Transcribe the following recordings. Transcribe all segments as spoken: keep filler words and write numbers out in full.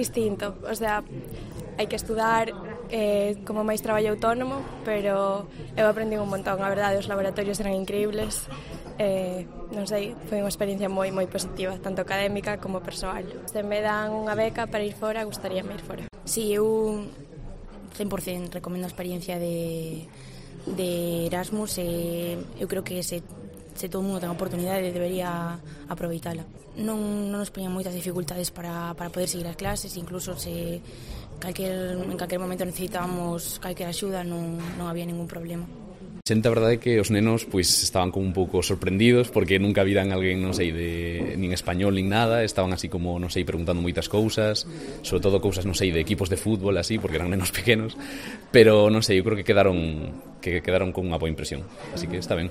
distinto, o sea, hai que estudar eh, como máis traballo autónomo, pero eu aprendi un montón, a verdade, os laboratorios eran increíbles, eh, non sei, foi unha experiencia moi moi positiva, tanto académica como persoal. Se me dan unha beca para ir fora, gustaríame ir fora. Sí, eu cen por cento recomendo a experiencia de, de Erasmus e eu creo que se, se todo o mundo ten a oportunidade debería aproveitala. Non, non nos poñan moitas dificultades para, para poder seguir as clases, incluso se calquer, en calquer momento necesitábamos calquer axuda non, non había ningún problema. Xente, a verdade é que os nenos pois estaban como un pouco sorprendidos porque nunca viran alguén, non sei, de nin español nin nada, estaban así como, non sei, preguntando moitas cousas, sobre todo cousas, non sei, de equipos de fútbol así, porque eran nenos pequenos, pero non sei, eu creo que quedaron que quedaron con unha boa impresión, así que está ben.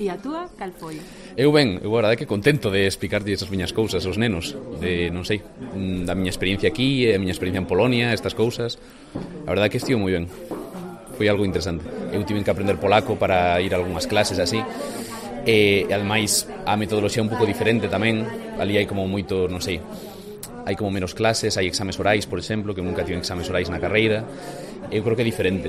E a túa, cal foi? Eu ben, eu a verdade é que contento de explicarlle esas miñas cousas aos nenos, de, non sei, da miña experiencia aquí, a miña experiencia en Polonia, estas cousas, a verdade é que estivo moi ben. Foi algo interesante. Eu tive que aprender polaco para ir a algunhas clases así e, ademais, a metodoloxía é un pouco diferente tamén. Ali hai como moito, non sei, hai como menos clases, hai exames orais, por exemplo, que nunca tive exames orais na carreira. Eu creo que é diferente.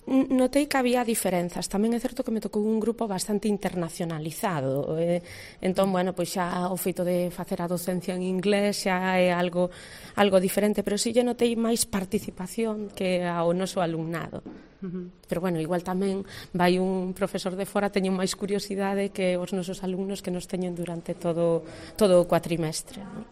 Notei que había diferenzas. Tamén é certo que me tocou un grupo bastante internacionalizado. Eh, entón, bueno, pois xa o feito de facer a docencia en inglés xa é algo algo diferente, pero si lle notei máis participación que ao noso alumnado. Uh-huh. Pero, bueno, igual tamén vai un profesor de fora, teñen máis curiosidade que os nosos alumnos que nos teñen durante todo, todo o cuatrimestre, non?